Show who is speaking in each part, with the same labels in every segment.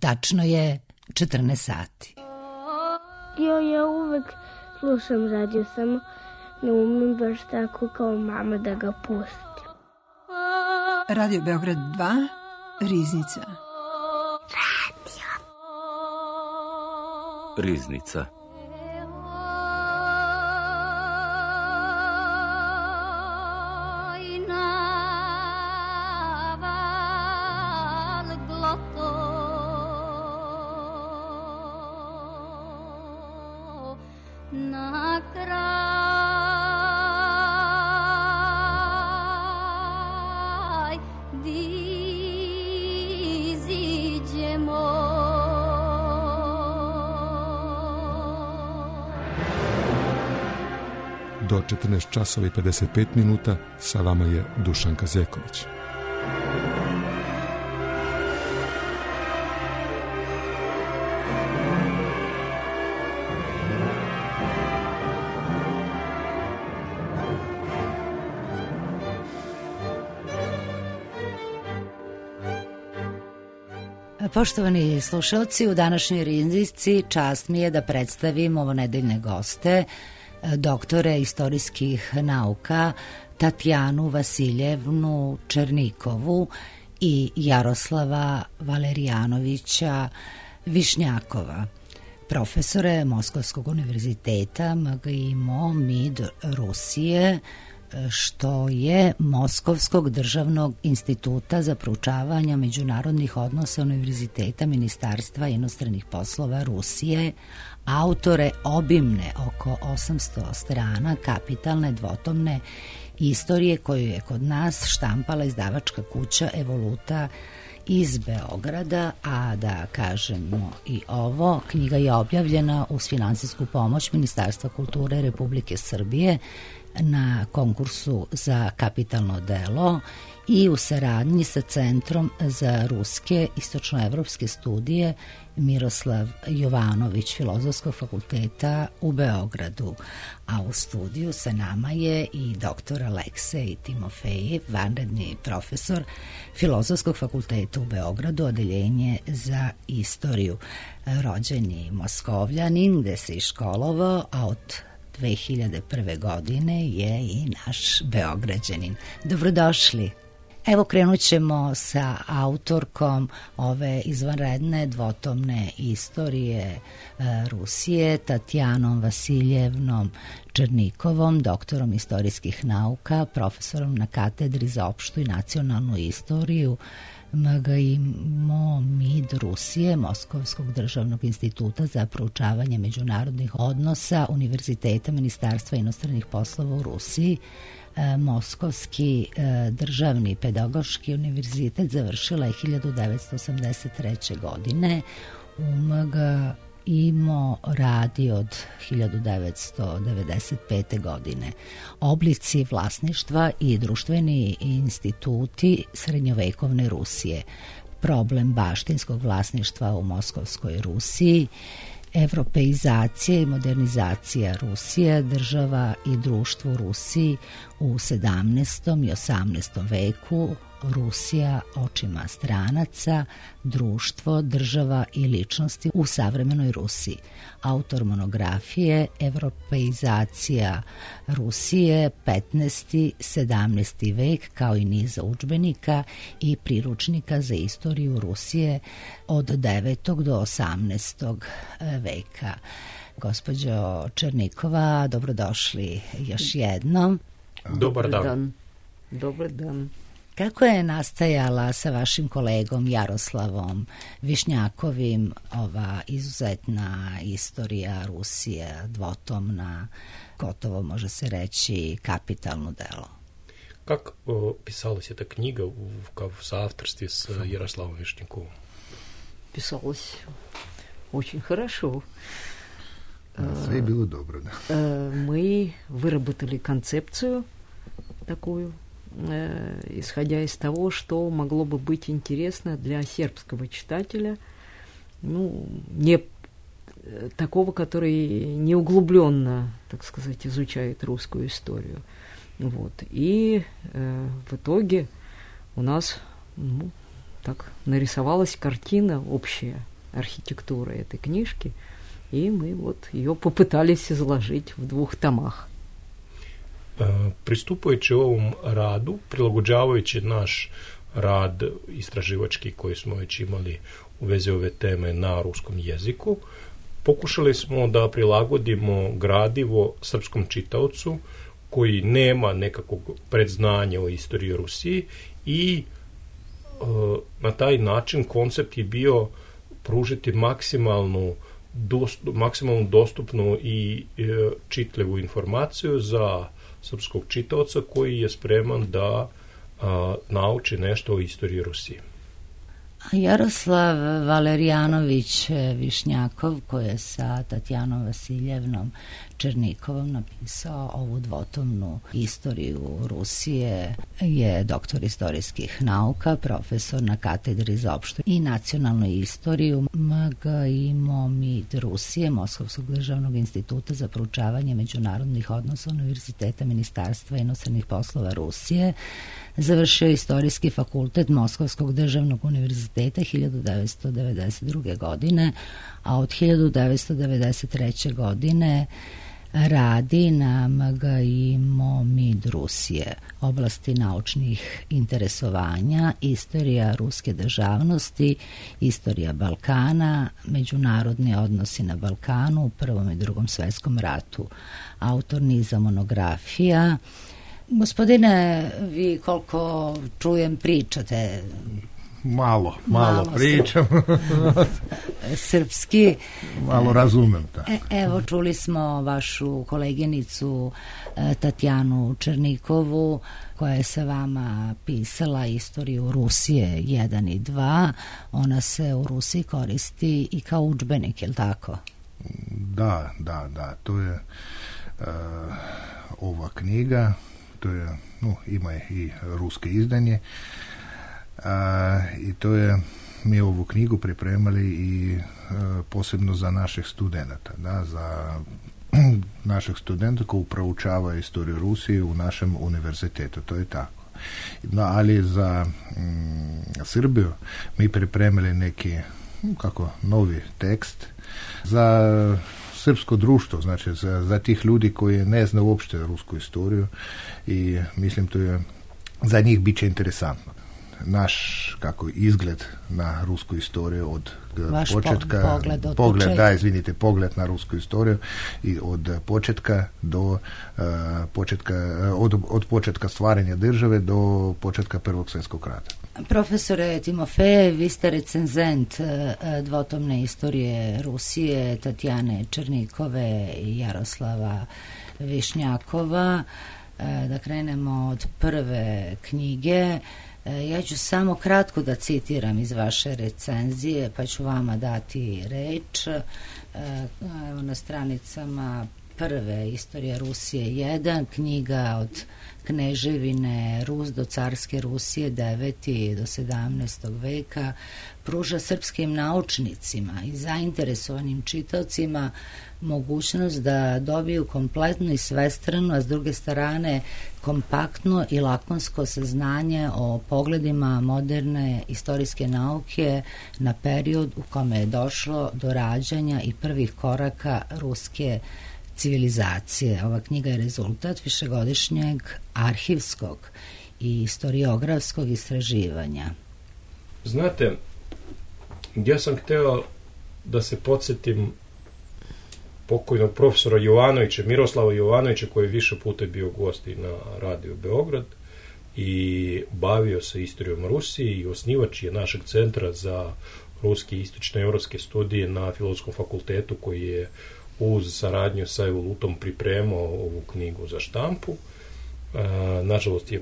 Speaker 1: Tačno je 14 sati.
Speaker 2: Ja uvek slušam radio, samo ne umem baš tako kao mama da ga pustim.
Speaker 3: Radio Beograd 2, Riznica.
Speaker 4: Riznica.
Speaker 5: Do 14 časova i 55 minuta sa vama je Dušanka Zeković.
Speaker 1: Poštovani slušalci, u današnjoj Riznici čast mi je da predstavim ovonedeljne goste, doktore istorijskih nauka Tatjanu Vasiljevnu Černikovu i Jaroslava Valerijanovića Višnjakova, profesore Moskovskog univerziteta MGIMO MID Rusije, što je Moskovskog državnog instituta za proučavanje međunarodnih odnosa Univerziteta Ministarstva inostranih poslova Rusije, autore obimne oko 800 strana kapitalne dvotomne istorije koju je kod nas štampala izdavačka kuća Evoluta iz Beograda, a da kažemo i ovo, knjiga je objavljena uz finansijsku pomoć Ministarstva kulture Republike Srbije na konkursu za kapitalno delo i u saradnji sa Centrom za ruske istočnoevropske studije Miroslav Jovanović Filozofskog fakulteta u Beogradu. A u studiju sa nama je i dr. Aleksej Timofejev, vanredni profesor Filozofskog fakulteta u Beogradu, odeljenje za istoriju. Rođeni Moskovljanin, gde se i školovao, a od 2001. godine je i naš Beograđanin. Dobrodošli. Evo krenut ćemo sa autorkom ove izvanredne dvotomne istorije Rusije, Tatjanom Vasiljevnom Černikovom, doktorom istorijskih nauka, profesorom na katedri za opštu i nacionalnu istoriju MGIMO MID Rusije, Moskovskog državnog instituta za proučavanje međunarodnih odnosa Univerziteta Ministarstva inostranih poslova u Rusiji. Moskovski državni pedagoški univerzitet završila je 1983. godine. U MGIMO radi od 1995. godine. Oblici vlasništva i društveni instituti srednjovekovne Rusije. Problem baštinskog vlasništva u Moskovskoj Rusiji. Evropeizacija i modernizacija Rusije, država i društvo u Rusiji u 17. i 18. veku, Rusija očima stranaca, društvo, država i ličnosti u savremenoj Rusiji. Autor monografije Evropeizacija Rusije 15. 17. vek, kao i niza udžbenika i priručnika za istoriju Rusije od 9. do 18. veka. Gospođo Černikova, dobrodošli još jednom.
Speaker 6: Dobar dan.
Speaker 7: Dobar dan.
Speaker 1: Kako je nastajala sa vašim kolegom Jaroslavom Višnjakovim ova izuzetna istorija Rusije, dvotomna, gotovo može se reći kapitalno delo?
Speaker 6: Как писалась эта книга в соавторстве с Ярославом Вишняковым?
Speaker 7: Писалось очень хорошо.
Speaker 8: Sve je bilo dobro, da.
Speaker 7: Мы выработали концепцию такую, исходя из того, что могло бы быть интересно для сербского читателя, ну, не такого, который не углубленно, так сказать, изучает русскую историю. Вот. И в итоге у нас так нарисовалась картина общая архитектуры этой книжки, и мы вот ее попытались изложить в 2 томах.
Speaker 6: Pristupajući ovom radu, prilagođavajući naš rad istraživački koji smo već imali u vezi ove teme na ruskom jeziku, pokušali smo da prilagodimo gradivo srpskom čitaocu koji nema nekakvog predznanja o istoriji Rusiji i na taj način koncept je bio pružiti maksimalno dostupnu i čitljivu informaciju za srpskog čitaoca koji je spreman da nauči nešto o istoriji Rusije.
Speaker 1: Jaroslav Valerijanović Višnjakov, koji je sa Tatjanom Vasiljevnom Černikovom napisao ovu 2-tomnu istoriju Rusije, je doktor istorijskih nauka, profesor na katedri za opštu i nacionalnu istoriju MGIMO-MID Rusije, Moskovskog državnog instituta za proučavanje međunarodnih odnosa Univerziteta Ministarstva inostranih poslova Rusije. Završio istorijski fakultet Moskovskog državnog univerziteta 1992. godine, a od 1993. godine radi na MGIMO-MID Rusije, oblasti naučnih interesovanja, istorija ruske državnosti, istorija Balkana, međunarodni odnosi na Balkanu u Prvom i Drugom svetskom ratu, autor niza monografija. Gospodine, vi koliko čujem pričate?
Speaker 8: Malo pričam.
Speaker 1: Srpski.
Speaker 8: Malo razumem.
Speaker 1: Evo, čuli smo vašu koleginicu Tatjanu Černikovu, koja je sa vama pisala istoriju Rusije 1 i 2. Ona se u Rusiji koristi i kao udžbenik, je li tako?
Speaker 8: Da. To je ova knjiga. To je, ima i ruske izdanje, i to je, mi ovu knjigu pripremali i posebno za naših studenata, za naših studenta koji proučavaju istoriju Rusije u našem univerzitetu, to je tako. No, ali za Srbiju mi pripremili neki novi tekst za srpsko društvo, znači za tih ljudi koji ne zna uopšte rusku istoriju, i mislim to je za njih bit će interesantno. Naš izgled na rusku istoriju od početka, pogled na rusku istoriju i od početka do od početka stvaranja države do početka Prvog svjetskog rata.
Speaker 1: Profesore Timofejev, vi ste recenzent 2-tomne istorije Rusije Tatjane Černikove i Jaroslava Višnjakova. Da krenemo od prve knjige. Ja ću samo kratko da citiram iz vaše recenzije, pa ću vama dati reč. Evo, na stranicama prve Istorija Rusije 1, knjiga od Kneževine Rus do carske Rusije 9. do 17. veka, pruža srpskim naučnicima i zainteresovanim čitaocima mogućnost da dobiju kompletno i svestrano, a s druge strane kompaktno i lakonsko saznanje o pogledima moderne istorijske nauke na period u kome je došlo do rađanja i prvih koraka ruske civilizacije. Ova knjiga je rezultat višegodišnjeg arhivskog i historiografskog istraživanja.
Speaker 6: Znate, ja sam hteo da se podsjetim pokojnog profesora Jovanovića, Miroslava Jovanovića, koji je više puta bio gost i na Radio Beograd i bavio se istorijom Rusije i osnivač je našeg centra za ruske i istočnoevropske studije na Filozofskom fakultetu, koji je uz saradnju sa Evolutom pripremao ovu knjigu za štampu. Nažalost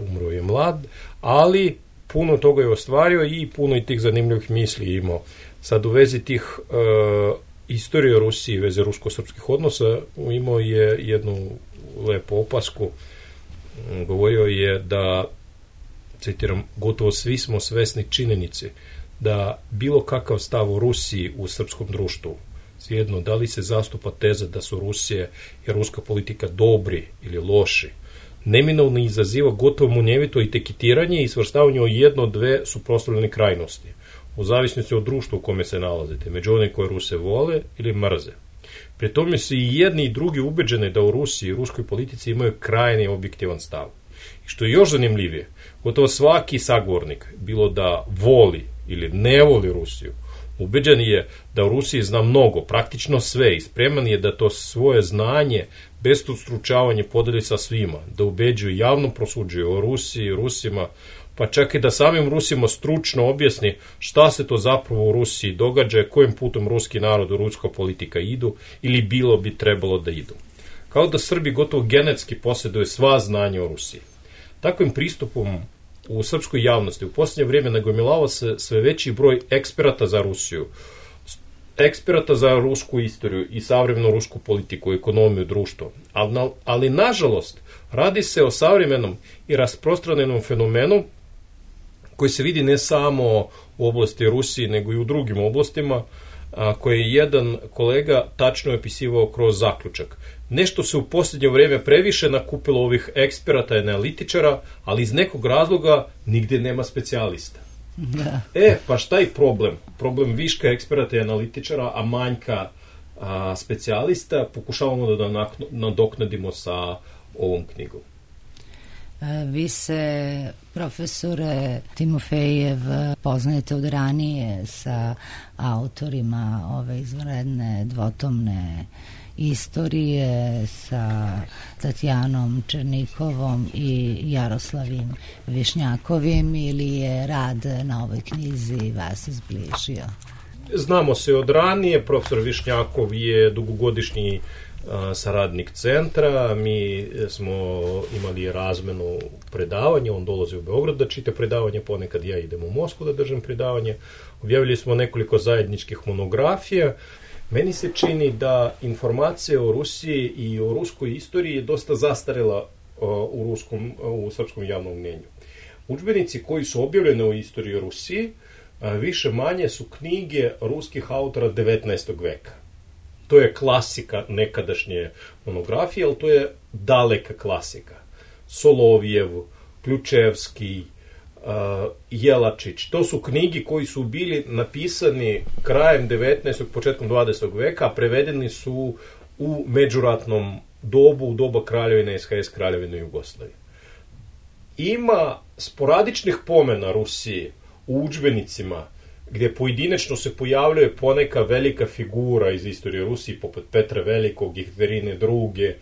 Speaker 6: umro je mlad, ali puno toga je ostvario i puno i tih zanimljivih misli imao. Sad u vezi tih istorije Rusije, veze rusko-srpskih odnosa, imao je jednu lepu opasku. Govorio je da, citiram, gotovo svi smo svesni činjenice da bilo kakav stav o Rusiji u srpskom društvu, svejedno da li se zastupa teza da su Rusije i ruska politika dobri ili loši, neminovno izaziva gotovo munjevito etiketiranje i svrstavanje u jedno od dve suprotstavljene krajnosti, u zavisnosti od društva u kome se nalazite, među one koje Ruse vole ili mrze. Pri tome su i jedni i drugi ubeđeni da u Rusiji i ruskoj politici imaju krajni objektivan stav. I što je još zanimljivije, gotovo svaki sagovornik, bilo da voli ili ne voli Rusiju, ubeđen je da u Rusiji zna mnogo, praktično sve, i spreman je da to svoje znanje bez stručavanja podeli sa svima, da ubeđuju, javno prosuđuju o Rusiji i Rusima, pa čak i da samim Rusima stručno objasni šta se to zapravo u Rusiji događa, kojim putom ruski narod i ruska politika idu ili bilo bi trebalo da idu. Kao da Srbi gotovo genetski posjeduju sva znanja o Rusiji. Takvim pristupom u srpskoj javnosti u posljednje vrijeme nagomilava se sve veći broj eksperata za Rusiju, eksperata za rusku istoriju i savremenu rusku politiku, ekonomiju, društvo. Ali nažalost, radi se o savremenom i rasprostranjenom fenomenu koji se vidi ne samo u oblasti Rusije, nego i u drugim oblastima, koje je jedan kolega tačno opisivao kroz zaključak. Nešto se u posljednje vrijeme previše nakupilo ovih eksperata i analitičara, ali iz nekog razloga nigdje nema specijalista.
Speaker 1: Da.
Speaker 6: Pa šta je problem? Problem viška eksperata i analitičara, a manjka specijalista, pokušavamo da nadoknadimo sa ovom knjigom.
Speaker 1: Vi se, profesore Timofejev, poznajete od ranije sa autorima ove izvanredne dvotomne istorije, sa Tatjanom Černikovom i Jaroslavim Višnjakovim, ili je rad na ovoj knjizi vas izbližio?
Speaker 6: Znamo se od ranije, profesor Višnjakov je dugogodišnji saradnik centra, mi smo imali razmenu predavanja, on dolazi u Beograd da čita predavanje, ponekad ja idem u Moskvu da držam predavanje, objavili smo nekoliko zajedničkih monografija. Meni se čini da informacija o Rusiji i o ruskoj istoriji je dosta zastarela u srpskom javnom mnjenju. Udžbenici koji su objavljeni o istoriji Rusiji više manje su knjige ruskih autora 19. veka. To je klasika nekadašnje monografije, ali to je daleka klasika. Solovjev, Ključevski, Jelačić, to su knjige koji su bili napisani krajem 19. početkom 20. veka, a prevedeni su u međuratnom dobu, u doba kraljevine SHS, kraljevine Jugoslavije. Ima sporadičnih pomena Rusije u udžbenicima gdje pojedinačno se pojavljuje poneka velika figura iz istorije Rusije, poput Petra Velikog, Jekaterine II.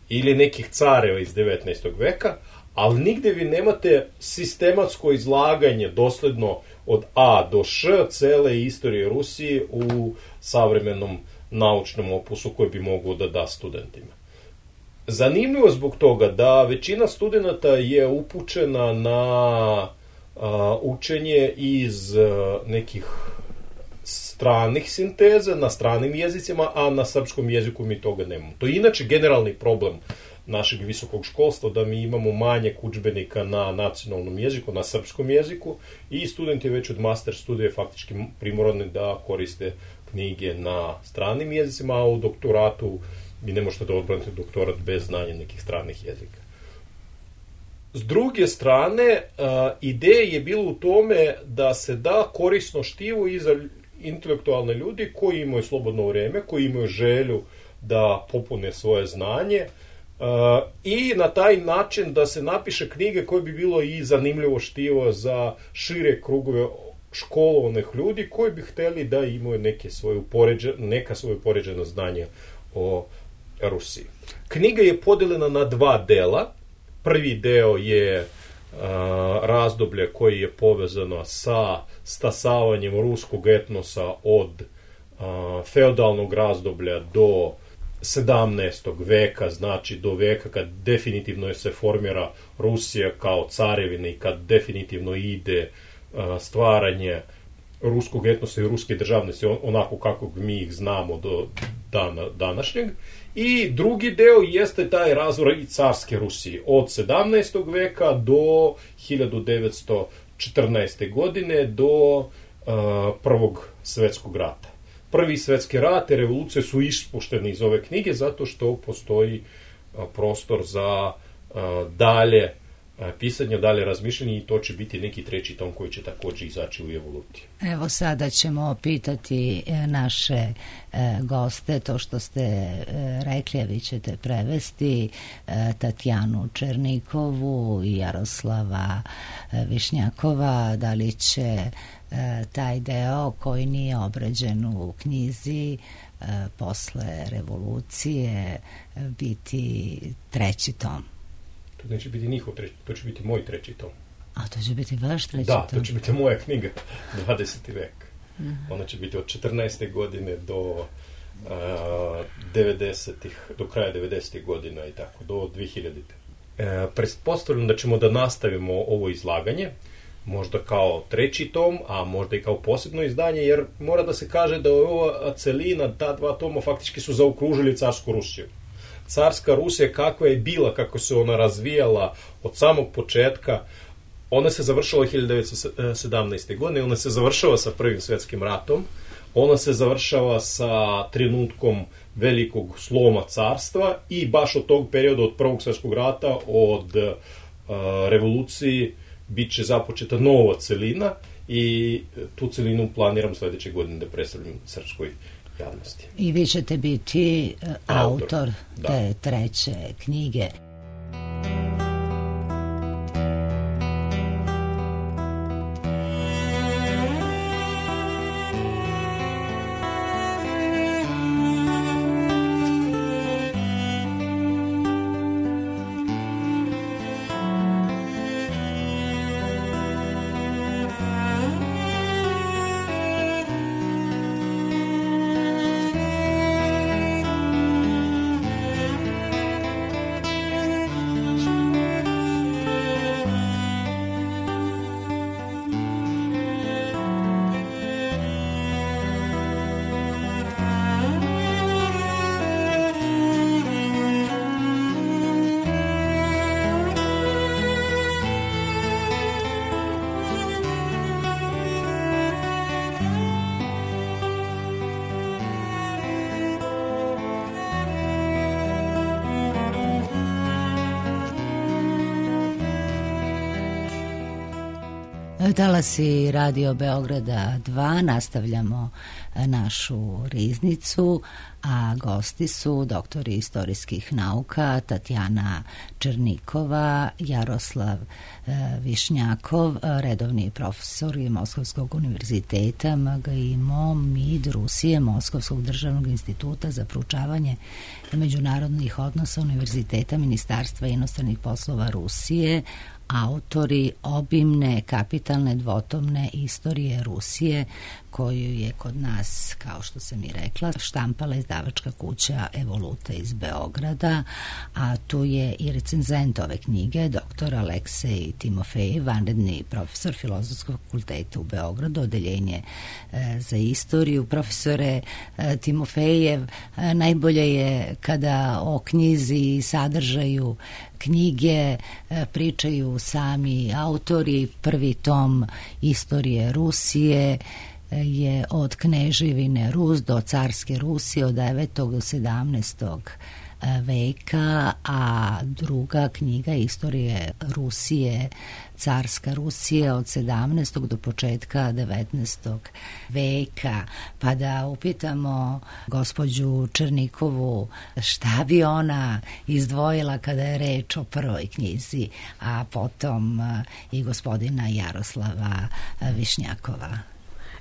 Speaker 6: Ili nekih careva iz 19. veka, ali nigdje vi nemate sistematsko izlaganje dosledno od A do Š cele istorije Rusije u savremenom naučnom opusu koji bi mogao da da studentima. Zanimljivo zbog toga da većina studenata je upućena na učenje iz nekih stranih sinteza, na stranim jezicima, a na srpskom jeziku mi toga nemamo. To je inače generalni problem našeg visokog školstva, da mi imamo manjak udžbenika na nacionalnom jeziku, na srpskom jeziku, i studenti već od master studije faktički primorani da koriste knjige na stranim jezicima, a u doktoratu vi ne možete da odbranite doktorat bez znanja nekih stranih jezika. S druge strane, ideja je bilo u tome da se da korisno štivo i za intelektualne ljudi koji imaju slobodno vrijeme, koji imaju želju da popune svoje znanje, i na taj način da se napiše knjige koje bi bilo i zanimljivo štivo za šire krugove školovanih ljudi koji bi htjeli da imaju neka svoje poređena znanja o Rusiji. Knjiga je podeljena na dva dela. Prvi deo je razdoblje koji je povezano sa stasavanjem ruskog etnosa od feudalnog razdoblja do 17. veka, znači do veka kad definitivno se formira Rusija kao carevina i kad definitivno ide stvaranje ruskog etnosa i ruske državnosti onako kako mi ih znamo do dana današnjeg. I drugi deo jeste taj razvoj i carske Rusije od 17. veka do 1914. godine do Prvog svjetskog rata. Prvi svjetski rat i revolucije su ispušteni iz ove knjige zato što postoji prostor za dalje pisanje, dalje razmišljanje, i to će biti neki treći tom koji će također izaći u evoluciji.
Speaker 1: Evo sada ćemo pitati naše goste, to što ste rekli, a vi ćete prevesti, Tatjanu Černikovu i Jaroslava Višnjakova, da li će taj deo koji nije obrađen u knjizi posle revolucije biti treći tom.
Speaker 6: To neće biti njihov treći, to će biti moj treći tom.
Speaker 1: A to će biti vaš treći tom?
Speaker 6: Da, to će biti moja knjiga, 20. vek. Ona će biti od 14. godine do 90-ih, do kraja 90-ih godina i tako, do 2000. Pretpostavljam da ćemo da nastavimo ovo izlaganje, možda kao treći tom, a možda i kao posebno izdanje, jer mora da se kaže da ova celina, ta dva toma faktički su zaokružili carsku Rusiju. Carska Rusija kakva je bila, kako se ona razvijala od samog početka, ona se završila 1917. godine, ona se završava sa Prvim svjetskim ratom, ona se završava sa trenutkom velikog sloma carstva i baš od tog perioda, od Prvog svjetskog rata, od revoluciji, bit će započeta nova celina i tu celinu planiram sljedeće godine da predstavljam srpskoj javnosti.
Speaker 1: I vi ćete biti autor te treće knjige. Talasi Radio Beograda 2, nastavljamo našu riznicu, a gosti su doktori istorijskih nauka Tatjana Černikova, Jaroslav Višnjakov, redovni profesori Moskovskog univerziteta, MGIMO, MID Rusije, Moskovskog državnog instituta za proučavanje međunarodnih odnosa Univerziteta Ministarstva inostranih poslova Rusije, autori obimne kapitalne dvotomne istorije Rusije, koju je kod nas, kao što sam i rekla, štampala izdavačka kuća Evoluta iz Beograda, a tu je i recenzent ove knjige, dr. Aleksej Timofejev, vanredni profesor Filozofskog fakulteta u Beogradu, odeljenje za istoriju. Profesore Timofejev, najbolje je kada o knjizi i sadržaju knjige pričaju sami autori. Prvi tom istorije Rusije je od Kneževine Rus do carske Rusije od 9. do 17. veka, a druga knjiga istorije Rusije, carska Rusija od 17. do početka 19. veka. Pa da upitamo gospođu Černikovu šta bi ona izdvojila kada je reč o prvoj knjizi, a potom i gospodina Jaroslava Višnjakova.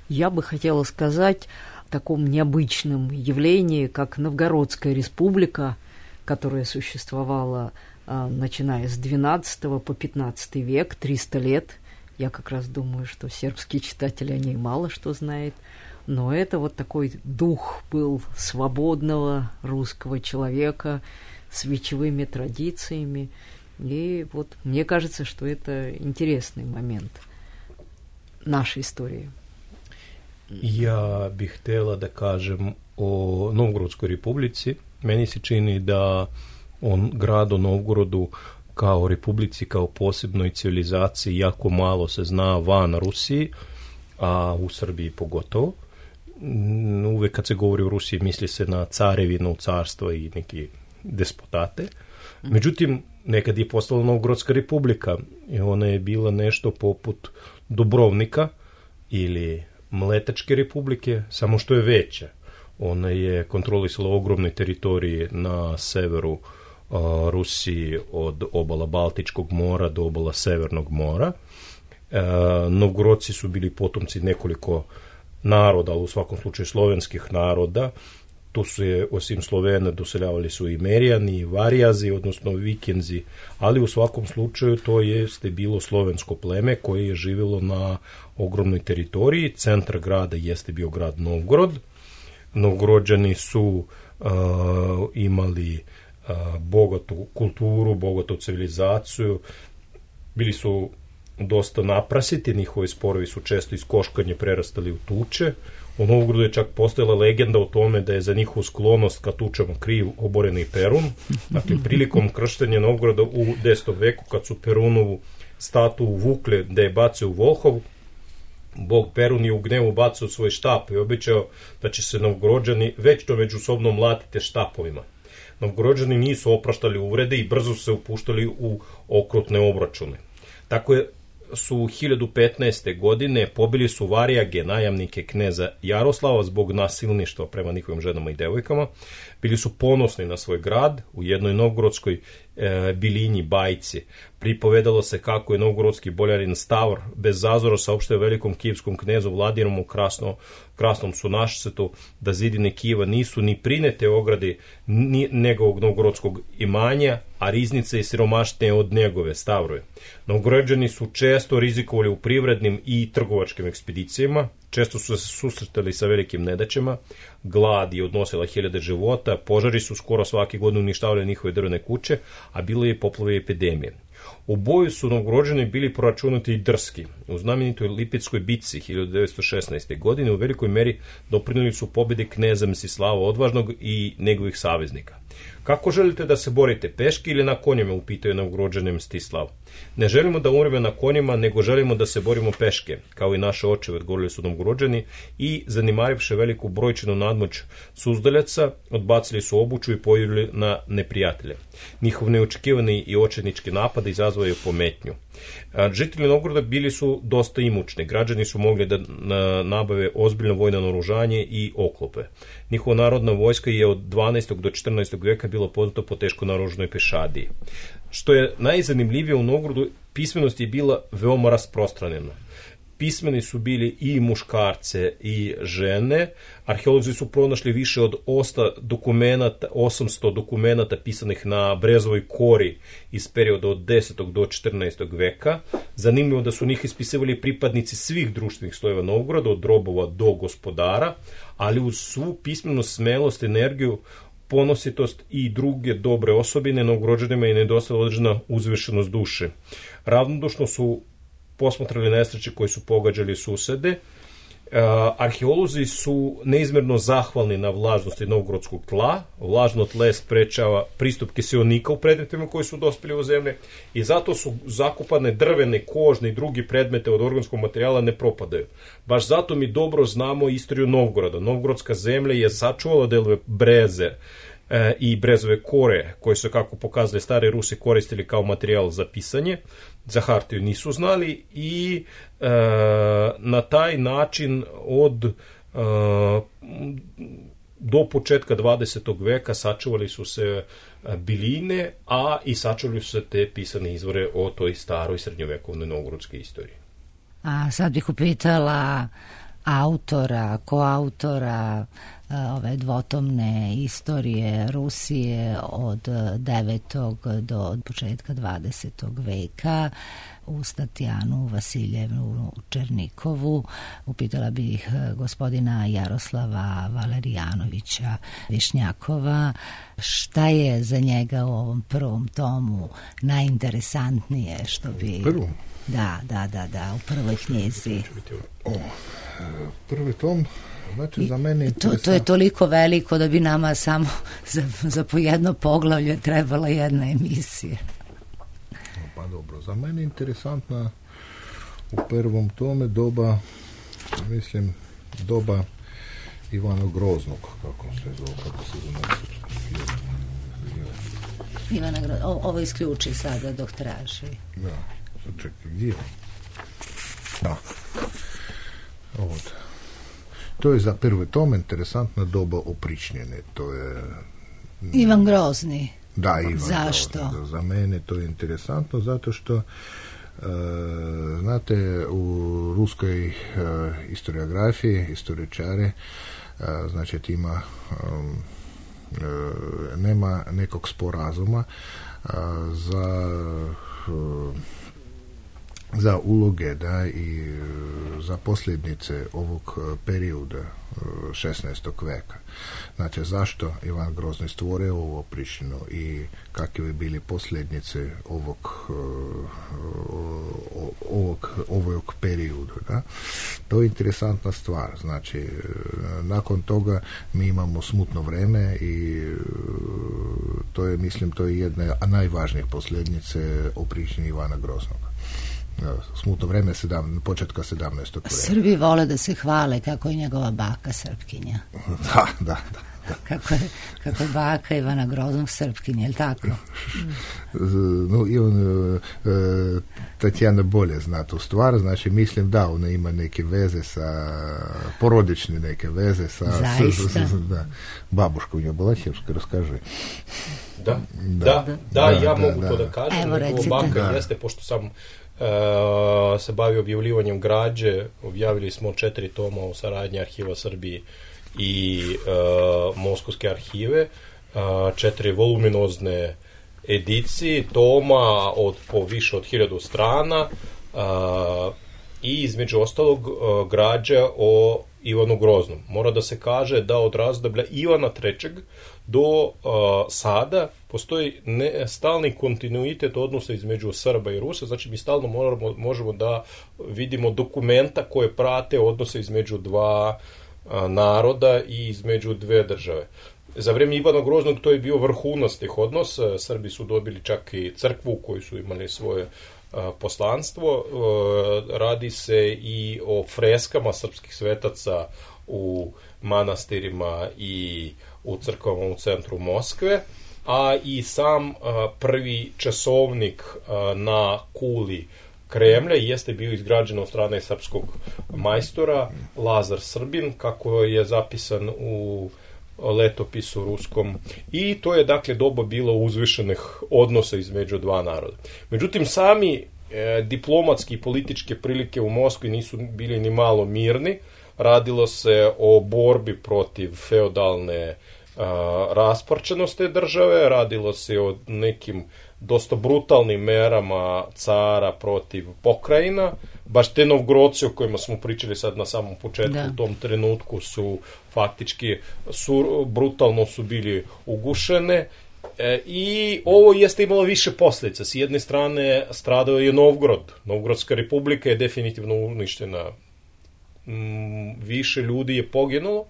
Speaker 7: Я бы хотела сказать о таком необычном явлении, как Новгородская республика, которая существовала начиная с XII по XV век, 300 лет. Я как раз думаю, что сербские читатели о ней мало что знают. Но это вот такой дух был свободного русского человека с вечевыми традициями. И вот мне кажется, что это интересный момент нашей истории.
Speaker 6: Ja bih htjela da kažem o Novgorodskoj republici. Meni se čini da grad o Novgorodu kao republici, kao posebnoj civilizaciji jako malo se zna van Rusiji, a u Srbiji pogotovo. Uvek kad se govori o Rusiji misli se na carevinu, carstvo i neki despotate. Međutim, nekad je postala Novgorodska republika i ona je bila nešto poput Dubrovnika ili Mletačke republike, samo što je veća. Ona je kontrolisala ogromne teritorije na severu Rusiji od obala Baltičkog mora do obala Severnog mora. Novgorodci su bili potomci nekoliko naroda, ali u svakom slučaju slovenskih naroda. Tu su je, osim Slovena, doseljavali su i Merijani, i Varijazi, odnosno Vikenzi, ali u svakom slučaju to jeste bilo slovensko pleme koje je živjelo na ogromnoj teritoriji. Centar grada jeste bio grad Novgorod. Novgorođani su imali bogatu kulturu, bogatu civilizaciju, bili su dosta naprasiti, njihovi sporovi su često iz koškanja prerastali u tuče. U Novgorodu je čak postojala legenda o tome da je za njihovu sklonost ka tučama kriv oboreni Perun. Dakle, prilikom krštenja Novgoroda u 10. veku, kad su Perunovu statuju vukle da je bacio u Volhov, bog Perun je u gnevu bacao svoj štap i obećao da će se Novgorođani večno međusobno mlatiti štapovima. Novgorođani nisu opraštali uvrede i brzo su se upuštali u okrutne obračune. Tako su 1015. godine pobili su Varijage, najamnike kneza Jaroslava, zbog nasilništva prema njihovim ženama i devojkama. Bili su ponosni na svoj grad. U jednoj novgorodskoj bilinji bajci pripovedalo se kako je novgorodski boljarin Stavr bez zazora saopštio velikom kijevskom knezu Vladimiru Krasnom Sunašcetu da zidine Kijeva nisu ni prinete ogradi njegovog novgorodskog imanja, a riznice i siromašnije od njegove Stavrove. Novgorođani su često rizikovali u privrednim i trgovačkim ekspedicijama, često su se susretali sa velikim nedaćama, glad je odnosila hiljade života, požari su skoro svake godine uništavali njihove drvene kuće, a bilo je poplave i epidemije. U boju su Novgorođani bili proračunati i drski. U znamenitoj Lipetskoj bitci 1916. godine u velikoj meri doprinijeli su pobjedi kneza Mstislava Odvažnog i njegovih saveznika. Kako želite da se borite, peške ili na konjima, upitao je Novgorođane Mstislav. Ne želimo da umremo na konjima, nego želimo da se borimo peške, kao i naše očeve, odgovorili su Novgorođani i, zanimarivši veliku brojčinu nadmoć Suzdaljaca, odbacili su obuču i pojavili na neprijatelje. Njihov neočekivani i očajnički napad izazvao je pometnju. Žitelji Novgoroda bili su dosta imućni, građani su mogli da nabave ozbiljno vojno naoružanje i oklope. Njihova narodna vojska je od 12. do 14. veka bila poznata po teško naoružanoj pešadiji. Što je najzanimljivije u Novgorodu, pismenost je bila veoma rasprostranjena. Pismeni su bili i muškarce i žene. Arheolozi su pronašli više od 800 dokumenata pisanih na brezovoj kori iz perioda od 10. do 14. veka. Zanimljivo da su njih ispisivali pripadnici svih društvenih slojeva Novgoroda, od robova do gospodara, ali uz svu pismenost, smelost, energiju, ponositost i druge dobre osobine Novgorođanima je nedostala određena uzvišenost duše. Ravnodušno su posmatrali nesreće koje su pogađali susede. Arheolozi su neizmjerno zahvalni na vlažnosti novgorodskog tla. Vlažno tle sprečava pristup kiseonika u predmetima koji su dospjeli u zemlje i zato su zakopane drvene, kožne i drugi predmete od organskog materijala ne propadaju. Baš zato mi dobro znamo istoriju Novgoroda. Novgorodska zemlja je sačuvala delove breze i brezove kore, koje su, kako pokazali stari Rusi, koristili kao materijal za pisanje. Za hartiju nisu znali i na taj način do početka 20. veka sačuvali su se biline, a i sačuvali su se te pisane izvore o toj staroj srednjovekovnoj novgorodskoj istoriji.
Speaker 1: A sad bih upitala koautora ove dvotomne istorije Rusije od 9. do početka 20. veka, uz Tatjanu Vasiljevnu Černikovu. Upitala bih gospodina Jaroslava Valerijanovića Višnjakova šta je za njega u ovom prvom tomu najinteresantnije, što bi...
Speaker 8: Prvom?
Speaker 1: Da, u prvoj knjizi.
Speaker 8: Prvi tom, znači za mene
Speaker 1: to je toliko veliko da bi nama samo za po jedno poglavlje trebala jedna emisija.
Speaker 8: Pa dobro, za mene interesantna u prvom tome doba Ivana Groznog, kako se zove
Speaker 1: Ivana Groznog. Ovo isključi sada dok traži.
Speaker 8: Da, čekaj, gdje je? Da. Ovdje. To je za prve tome interesantna doba opričnjene. To je...
Speaker 1: Ivan Grozni.
Speaker 8: Da, Ivan
Speaker 1: Zašto?
Speaker 8: Grozni. Za mene to je interesantno zato što znate, u ruskoj historiografiji, historičare, znači ima nema nekog sporazuma za uloge, da, i za posljednice ovog perioda 16. veka. Znači, zašto Ivan Grozni stvorio ovo Prištinu i kakve bi bili posljednice ovog perioda, da? To je interesantna stvar. Znači, nakon toga mi imamo smutno vreme i to je, mislim, to je jedna najvažnijih posljednice o Prištini Ivana Groznog. Smutno vreme početka 17. veka.
Speaker 1: Srbi vole da se hvale kako je njegova baka Srpkinja.
Speaker 8: Da.
Speaker 1: Kako je baka Ivana Groznog Srpkinja, je li tako?
Speaker 8: No, i on, Tatjana bolje zna tu stvar, znači mislim da ona ima neke veze sa, porodične neke veze sa...
Speaker 1: Zaista?
Speaker 8: Da. Babuška u njoj bila Hevska, raskaži.
Speaker 6: Da, ja mogu to da kažem.
Speaker 1: Evo, recite.
Speaker 6: Baka jeste, pošto sam se bavio objavljivanjem građe, objavili smo 4 toma o saradnji Arhiva Srbije i Moskovske arhive, 4 voluminozne edicije toma po više od 1000 strana i između ostalog građa o Ivanu Groznom. Mora da se kaže da od razdoblja Ivana III. Do sada postoji stalni kontinuitet odnosa između Srba i Rusa, znači mi stalno možemo da vidimo dokumenta koje prate odnose između dva naroda i između dve države. Za vrijeme Ivana Groznog to je bio vrhunac tih odnosa, Srbi su dobili čak i crkvu u kojoj su imali svoje poslanstvo, radi se i o freskama srpskih svetaca u manastirima i u crkvama u centru Moskve, a i sam prvi časovnik na kuli Kremlja jeste bio izgrađen od strane srpskog majstora Lazar Srbin, kako je zapisan u letopisu ruskom, i to je dakle doba bilo uzvišenih odnosa između dva naroda. Međutim, sami diplomatski i političke prilike u Moskvi nisu bili ni malo mirni. Radilo se o borbi protiv feudalne rasparčenosti države, radilo se o nekim dosta brutalnim merama cara protiv pokrajina. Baš te Novgorodci o kojima smo pričali sad na samom početku, u tom trenutku su faktički brutalno su bili ugušene, i ovo jeste imalo više posljedica. S jedne strane stradao je Novgorod. Novgorodska republika je definitivno uništena. Više ljudi je poginulo,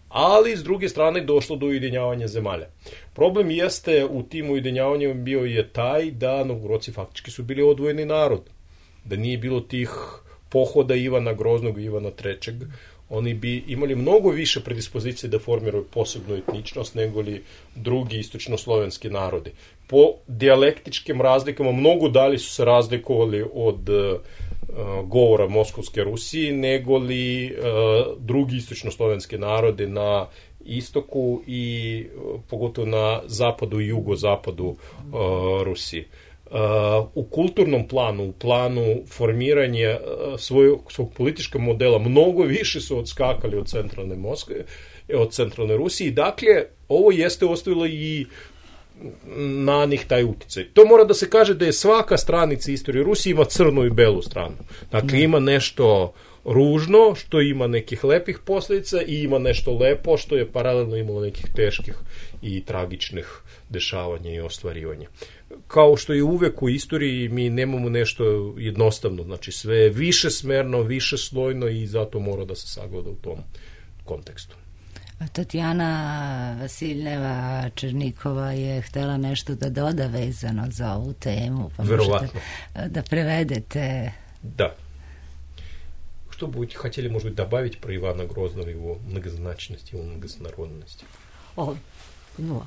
Speaker 6: ali s druge strane došlo do ujedinjavanja zemalja. Problem jeste u tim ujedinjavanjima bio je taj da Novgorodci faktički su bili odvojeni narod. Da nije bilo tih pohoda Ivana Groznog i Ivana III. Oni bi imali mnogo više predispozicije da formiraju posebnu etničnost nego li drugi istočnoslovenski narodi. Po dijalektičkim razlikama mnogo dalje su se razlikovali od govora Moskovske Rusije nego li drugi istočnoslovenski narodi na istoku i pogotovo na zapadu i jugozapadu Rusije. U kulturnom planu, u planu formiranja svog političkog modela mnogo više su odskakali od centralne Moskve, od centralne Rusije. Dakle, ovo jeste ostavilo i na njih taj utjecaj. To mora da se kaže da je svaka stranica istorije Rusije ima crnu i belu stranu. Dakle, ima nešto ružno, što ima nekih lepih posljedica, i ima nešto lepo, što je paralelno imalo nekih teških i tragičnih dešavanja i ostvarivanja. Kao što je uvek u istoriji, mi nemamo nešto jednostavno, znači sve je višesmerno, višeslojno, i zato mora da se sagleda u tom kontekstu.
Speaker 1: Tatjana Vasiljeva Černikova je htjela nešto da doda vezano za ovu temu, pa
Speaker 6: Verovatno.
Speaker 1: Da prevedete.
Speaker 6: Da. Что будете хотели, может быть, добавить про Ивана Грозного, его многозначность, его многонародность?
Speaker 7: Поняла.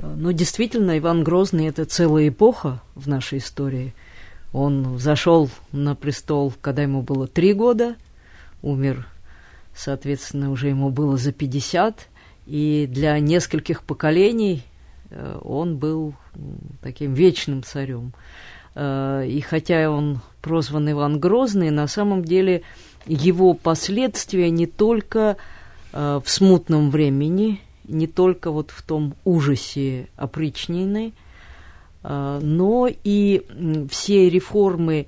Speaker 7: Но действительно, Иван Грозный – это целая эпоха в нашей истории. Он взошел на престол, когда ему было 3 года, умер, соответственно, уже ему было за 50, и для нескольких поколений он был таким вечным царем. И хотя он прозван Иван Грозный, на самом деле его последствия не только в смутном времени, не только вот в том ужасе опричнины, но и все реформы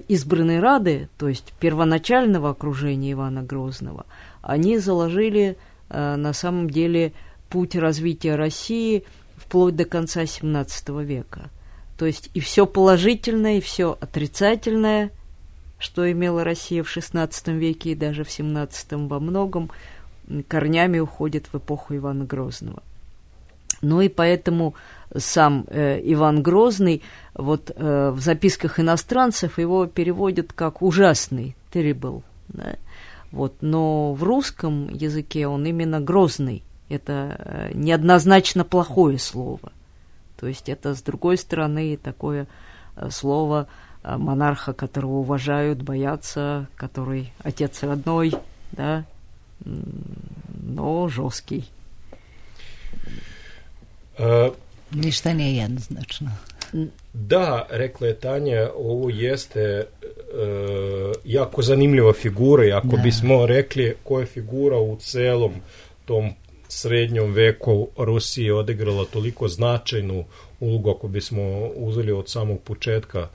Speaker 7: избранной Рады, то есть первоначального окружения Ивана Грозного, они заложили на самом деле путь развития России вплоть до конца XVII века. То есть и все положительное, и все отрицательное, что имела Россия в XVI веке и даже в XVII, во многом корнями уходит в эпоху Ивана Грозного. Ну и поэтому сам Иван Грозный, вот в записках иностранцев его переводят как ужасный, terrible, да? Вот, но в русском языке он именно грозный. Это неоднозначно плохое слово. То есть это, с другой стороны, такое слово монарха, которого уважают, боятся, который отец родной, да, но жесткий.
Speaker 1: Ništa nije jednoznačno.
Speaker 6: Da, rekla je Tanja, ovo jeste jako zanimljiva figura i ako bismo rekli koja je figura u celom tom srednjom veku Rusije odigrala toliko značajnu ulogu, ako bismo uzeli od samog početka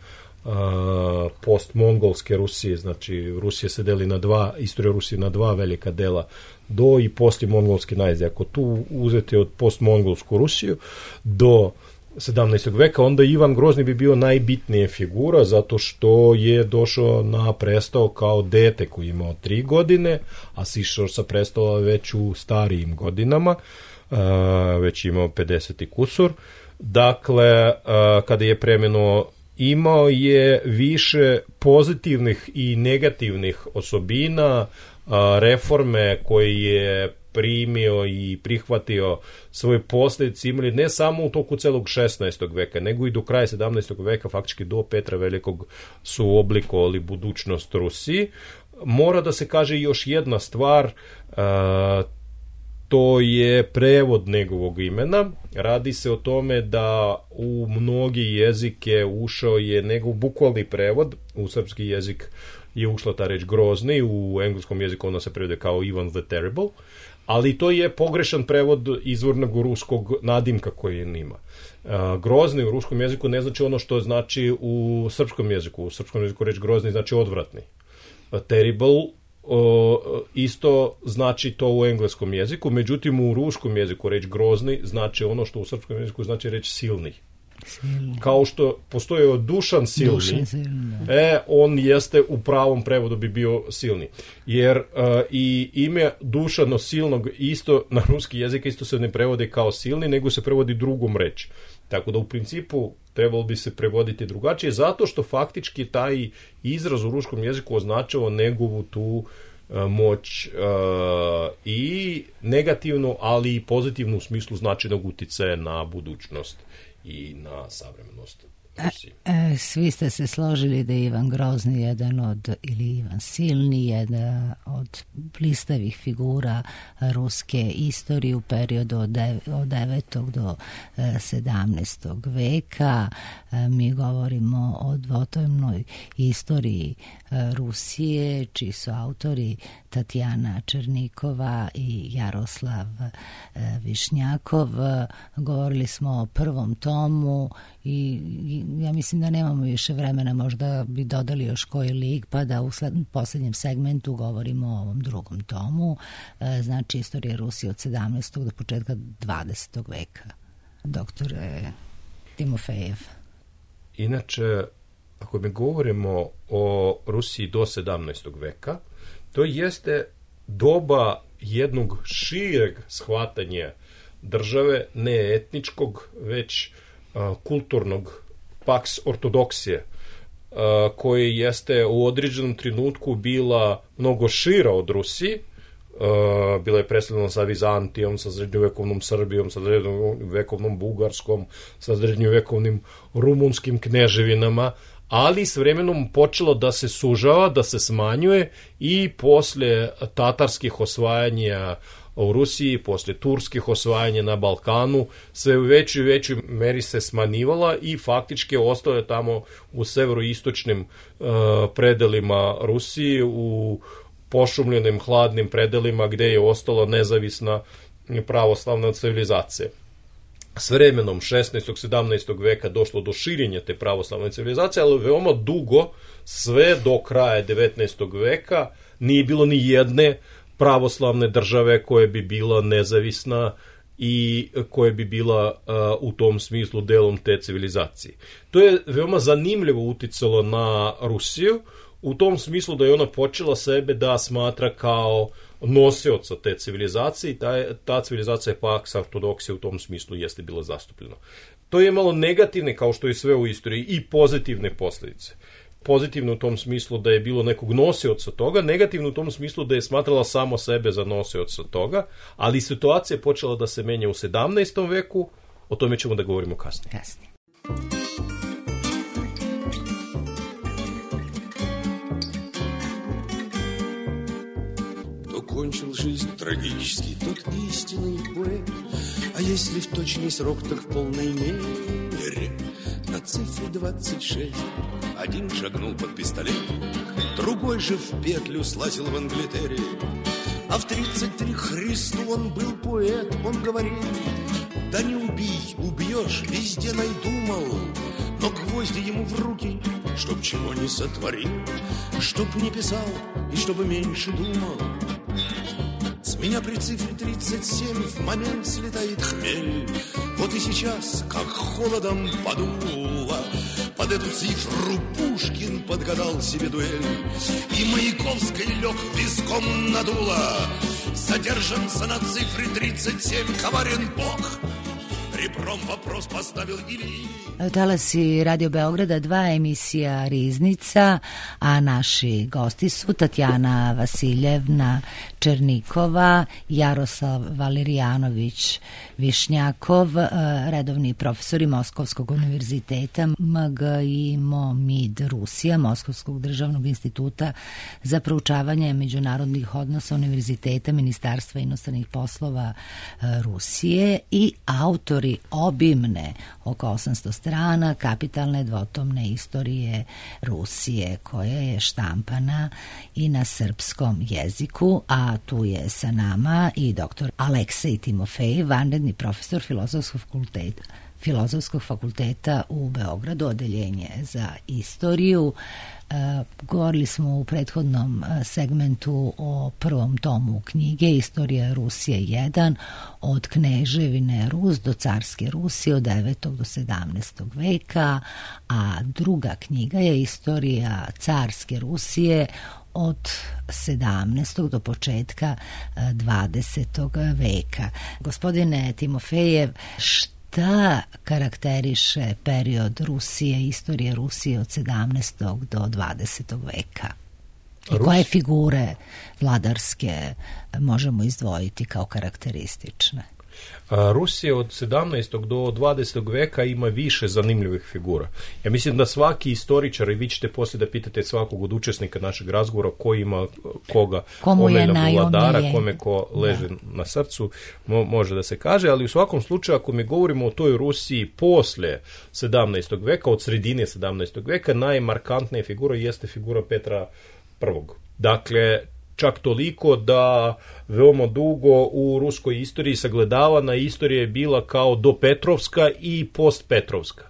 Speaker 6: post-mongolske Rusije, znači Rusija se deli na dva, istorija Rusije na dva velika dela, do i poslije-mongolske najezde. Ako tu uzeti od post-mongolsku Rusiju do 17. veka, onda Ivan Grozni bi bio najbitnija figura, zato što je došao na prestol kao dete koji je imao 3 godine, a sišao sa prestola već u starijim godinama, već imao 50 i kusur. Dakle, kada je preminuo, imao je više pozitivnih i negativnih osobina, reforme koje je primio i prihvatio svoje posljedice imali ne samo u toku celog 16. veka, nego i do kraja 17. veka, faktički do Petra Velikog su oblikovali budućnost Rusiji. Mora da se kaže još jedna stvar, to je prevod njegovog imena. Radi se o tome da u mnogi jezike ušao je njegov bukvalni prevod, u srpski jezik je ušla ta reč grozni, u engleskom jeziku ona se prevede kao Ivan the Terrible, ali to je pogrešan prevod izvornog ruskog nadimka koji on ima. Grozni u ruskom jeziku ne znači ono što znači u srpskom jeziku. U srpskom jeziku reč grozni znači odvratni. Terrible isto znači to u engleskom jeziku, međutim u ruskom jeziku reč grozni znači ono što u srpskom jeziku znači reč silni. Kao što postoji Dušan silni, on jeste u pravom prevodu bi bio silni. Jer i ime Dušano silnog isto na ruski jezik isto se ne prevodi kao silni, nego se prevodi drugom reč. Tako da u principu trebalo bi se prevoditi drugačije, zato što faktički taj izraz u ruskom jeziku označava njegovu tu moć i negativnu, ali i pozitivnu u smislu značajnog uticaja na budućnost i na savremenost Rusije.
Speaker 1: Svi ste se složili da je Ivan Grozni jedan od, ili Ivan Silni, jedan od blistavih figura ruske istorije u periodu od 9. do 17. veka. Mi govorimo o dvotomnoj istoriji Rusije, čiji su autori Tatjana Černikova i Jaroslav Višnjakov. Govorili smo o prvom tomu i ja mislim da nemamo više vremena, možda bi dodali još koji lik, pa da u posljednjem segmentu govorimo o ovom drugom tomu, znači istorija Rusije od 17. do početka 20. veka. Doktor Timofejev.
Speaker 6: Inače, ako mi govorimo o Rusiji do 17. veka, to jeste doba jednog šireg shvatanja države, ne etničkog, već kulturnog, pax ortodoksije, koje jeste u određenom trenutku bila mnogo šira od Rusije, bila je presledana sa Vizantijom, sa srednjovekovnom Srbijom, sa srednjovekovnom Bugarskom, sa srednjovekovnim rumunskim kneževinama, ali s vremenom počelo da se sužava, da se smanjuje i posle tatarskih osvajanja u Rusiji, posle turskih osvajanja na Balkanu, sve u većoj i većoj meri se smanjivala i faktički ostalo je tamo u severoistočnim predelima Rusije, u pošumljenim hladnim predelima gde je ostala nezavisna pravoslavna civilizacija. S vremenom 16. 17. veka došlo do širenja te pravoslavne civilizacije, ali veoma dugo, sve do kraja 19. veka, nije bilo ni jedne pravoslavne države koja bi bila nezavisna i koja bi bila u tom smislu delom te civilizacije. To je veoma zanimljivo uticalo na Rusiju, u tom smislu da je ona počela sebe da smatra kao nosioca te civilizacije i ta civilizacija Pax Ortodoksija u tom smislu jeste bila zastupljena. To je imalo negativne, kao što je sve u istoriji, i pozitivne posljedice. Pozitivno u tom smislu da je bilo nekog nosioca toga, negativno u tom smislu da je smatrala samo sebe za nosioca toga, ali situacija je počela da se menja u 17. veku, o tome ćemo da govorimo kasnije.
Speaker 4: Кончил жизнь трагически тот истинный поэт, а если в точный срок, так в полной мере. На цифре 26 один шагнул под пистолет, другой же в петлю слазил в Англитере. А в 33 Христу он был поэт, он говорил: да не убей, убьешь, везде найдумал, но гвозди ему в руки, чтоб чего не сотворил, чтоб не писал и чтобы меньше думал. С меня при цифре 37 в момент слетает хмель. Вот и сейчас, как холодом подуло, под эту цифру Пушкин подгадал себе дуэль. И Маяковский лег виском надуло. Задержанца на цифре 37, коварен Бог. Ребром вопрос поставил Ильи.
Speaker 1: Talasi Radio Beograda 2, emisija Riznica, a naši gosti su Tatjana Vasiljevna Černikova, Jaroslav Valerijanović Višnjakov, redovni profesori Moskovskog univerziteta MGIMO-MID Rusija, Moskovskog državnog instituta za proučavanje međunarodnih odnosa Univerziteta Ministarstva inostranih poslova Rusije i autori obimne oko 800 strana kapitalne dvotomne istorije Rusije, koja je štampana i na srpskom jeziku, a tu je sa nama i dr. Aleksej Timofejev, vanredni profesor Filozofskog fakulteta u Beogradu, odeljenje za istoriju. Govorili smo u prethodnom segmentu o prvom tomu knjige Istorija Rusije 1, od Kneževine Rus do Carske Rusije od 9. do 17. veka, a druga knjiga je Istorija Carske Rusije od 17. do početka 20. veka. Gospodine Timofejev, šta karakteriše period Rusije, istorije Rusije od 17. do 20. veka? I koje figure vladarske možemo izdvojiti kao karakteristične?
Speaker 6: Rusija od 17. do 20. veka ima više zanimljivih figura. Ja mislim da svaki istoričar, i vi ćete poslije da pitate svakog od učesnika našeg razgovora ko ima koga omeljnog vladara, kome ko leže na srcu, može da se kaže, ali u svakom slučaju ako mi govorimo o toj Rusiji posle 17. veka, od sredine 17. veka, najmarkantnija figura jeste figura Petra I. Dakle, čak toliko da veoma dugo u ruskoj istoriji sagledavana istorija je bila kao dopetrovska i postpetrovska.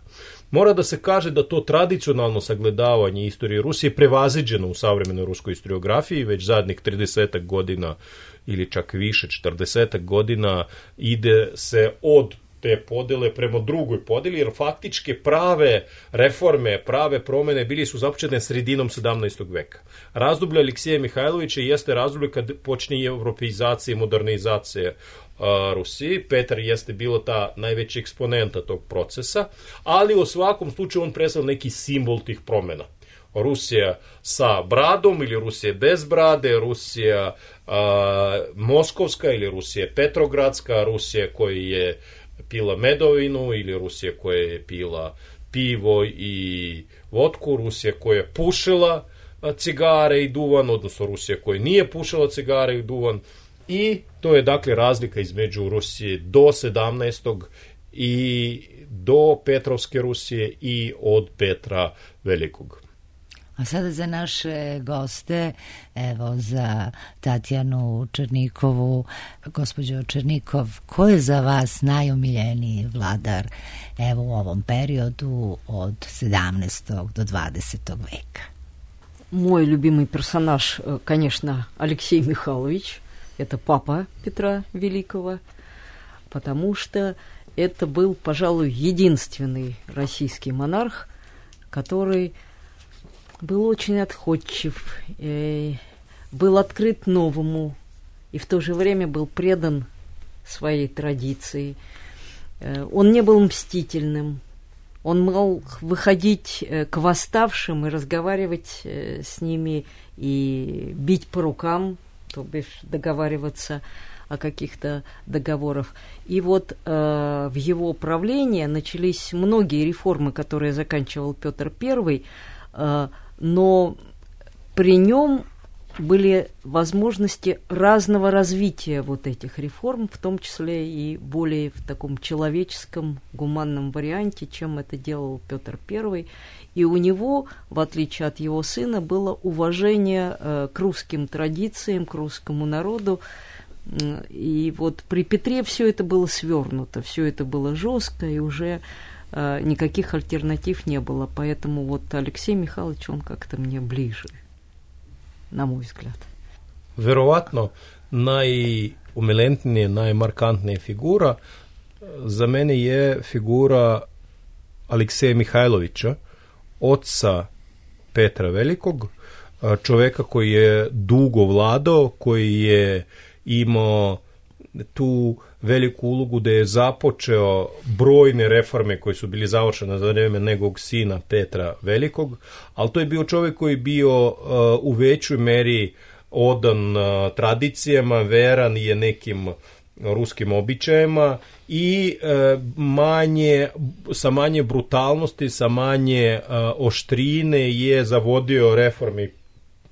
Speaker 6: Mora da se kaže da to tradicionalno sagledavanje istorije Rusije prevaziđeno u savremenoj ruskoj historiografiji, već zadnjih 30 godina ili čak više, 40 godina ide se od te podele prema drugoj podeli, jer faktičke prave reforme, prave promene bili su započete sredinom 17. veka. Razdoblje Aleksija Mihajlovića jeste razdoblje kad počne europeizacija i modernizacija Rusiji. Petar jeste bilo ta najveća eksponenta tog procesa, ali u svakom slučaju on predstavlja neki simbol tih promjena. Rusija sa bradom ili Rusija bez brade, Rusija moskovska ili Rusija petrogradska, Rusija koja je pila medovinu ili Rusija koja je pila pivo i vodku, Rusija koja je pušila cigare i duvan, odnosno Rusija koja nije pušila cigare i duvan. I to je dakle razlika između Rusije do 17. i do Petrovske Rusije i od Petra Velikog.
Speaker 1: A sada za naše goste, evo za Tatjanu Černikovu, gospođo Černikov, ko je za vas najomiljeniji vladar evo u ovom periodu od 17. do 20. veka?
Speaker 7: Мой любимый персонаж, конечно, Алексей Михайлович. Это папа Петра Великого, потому что это был, пожалуй, единственный российский монарх, который был очень отходчив, был открыт новому и в то же время был предан своей традиции. Он не был мстительным, он мог выходить к восставшим и разговаривать с ними и бить по рукам, то бишь договариваться о каких-то договорах. И вот в его правлении начались многие реформы, которые заканчивал Петр I, но при нем были возможности разного развития вот этих реформ, в том числе и более в таком человеческом, гуманном варианте, чем это делал Петр I. И у него, в отличие от его сына, было уважение к русским традициям, к русскому народу. И вот при Петре все это было свернуто, все это было жестко, и уже никаких альтернатив не было. Поэтому вот Алексей Михайлович, он как-то мне ближе, на мой взгляд.
Speaker 6: Verovatno najumilentnija, najmarkantnija figura za mene je figura Alekseja Mihajlovića, oca Petra Velikog, čoveka koji je dugo vladao, koji je imao tu veliku ulogu da je započeo brojne reforme koje su bili završene za vreme njegovog sina Petra Velikog, ali to je bio čovjek koji je bio u većoj meri odan tradicijama, veran je nekim ruskim običajima i sa manje brutalnosti, sa manje oštrine je zavodio reforme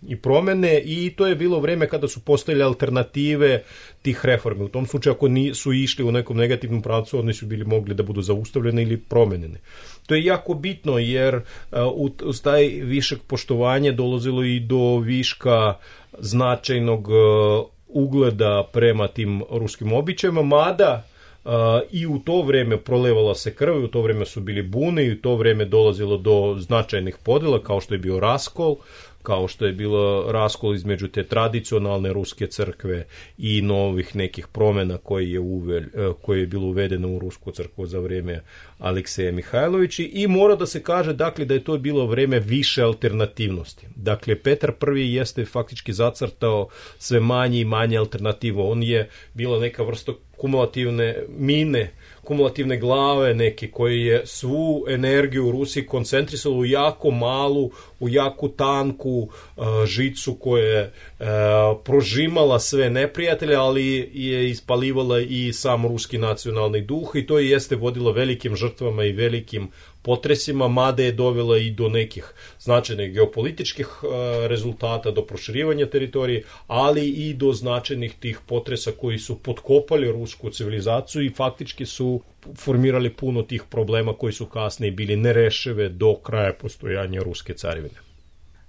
Speaker 6: i promene i to je bilo vreme kada su postojale alternative tih reformi. U tom slučaju ako su išli u nekom negativnom pravcu, oni su bili mogli da budu zaustavljene ili promenjene. To je jako bitno jer uz taj višak poštovanja dolazilo i do viška značajnog ugleda prema tim ruskim običajima, mada i u to vreme prolevala se krv, u to vreme su bili bune i u to vreme dolazilo do značajnih podela kao što je bio raskol, kao što je bilo raskol između te tradicionalne ruske crkve i novih nekih promjena koje je bilo uvedeno u rusku crkvu za vrijeme Alekseja Mihajlovića i mora da se kaže dakle da je to bilo vrijeme više alternativnosti. Dakle, Petar I jeste faktički zacrtao sve manje i manje alternativo. On je bila neka vrsta kumulativne mine, kumulativne glave neke koje je svu energiju u Rusiji koncentrisala u jako malu, u jako tanku žicu koja je prožimala sve neprijatelje, ali je ispalivala i sam ruski nacionalni duh i to jeste vodilo velikim žrtvama i velikim potresima, mada je dovela i do nekih značajnih geopolitičkih rezultata, do proširivanja teritorije, ali i do značajnih tih potresa koji su potkopali rusku civilizaciju i faktički su formirali puno tih problema koji su kasnije bili nerešive do kraja postojanja ruske carevine.